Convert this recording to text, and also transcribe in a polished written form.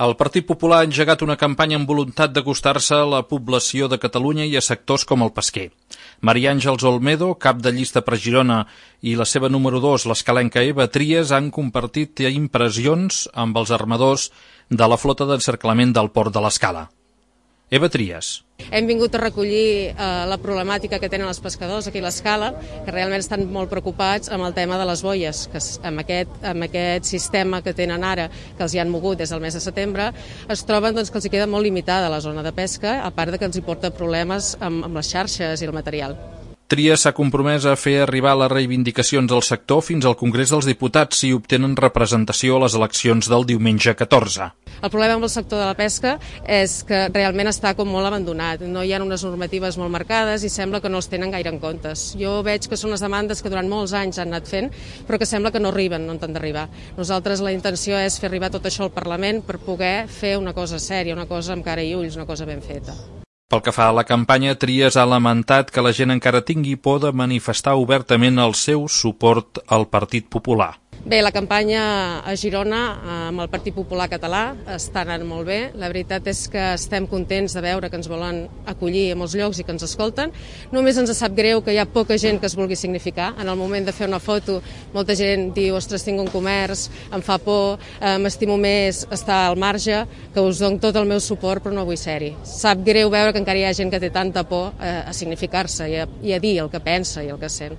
El Partit Popular ha engegat una campanya amb voluntat d'acostar-se a la població de Catalunya i a sectors com el pesquer. Maria Àngels Olmedo, cap de llista per Girona, i la seva número 2, l'escalenca Eva Tries, han compartit impressions amb els armadors de la flota d'encerclament del port de l'Escala. Eva Tries. Hem vingut a recollir la problemàtica que tenen els pescadors aquí a l'Escala, que realment estan molt preocupats amb el tema de les boies, que amb aquest sistema que tenen ara, que els hi han mogut des del mes de setembre, es troben que els hi queda molt limitada la zona de pesca, a part que els hi porta problemes amb les xarxes i el material. Tries s'ha compromès a fer arribar les reivindicacions del sector fins al Congrés dels Diputats si obtenen representació a les eleccions del diumenge 14. El problema amb el sector de la pesca és que realment està com molt abandonat. No hi ha unes normatives molt marcades i sembla que no els tenen gaire en comptes. Jo veig que són les demandes que durant molts anys han anat fent, però que sembla que no arriben on han d'arribar. Nosaltres la intenció és fer arribar tot això al Parlament per poder fer una cosa sèria, una cosa amb cara i ulls, una cosa ben feta. Pel que fa a la campanya, Tries ha lamentat que la gent encara tingui por de manifestar obertament el seu suport al Partit Popular. Bé, la campanya a Girona amb el Partit Popular Català està anant molt bé. La veritat és que estem contents de veure que ens volen acollir a molts llocs i que ens escolten. Només ens sap greu que hi ha poca gent que es vulgui significar. En el moment de fer una foto, molta gent diu, ostres, tinc un comerç, em fa por, m'estimo més estar al marge, que us dono tot el meu suport però no vull ser-hi. Sap greu veure que encara hi ha gent que té tanta por a significar-se i a dir el que pensa i el que sent.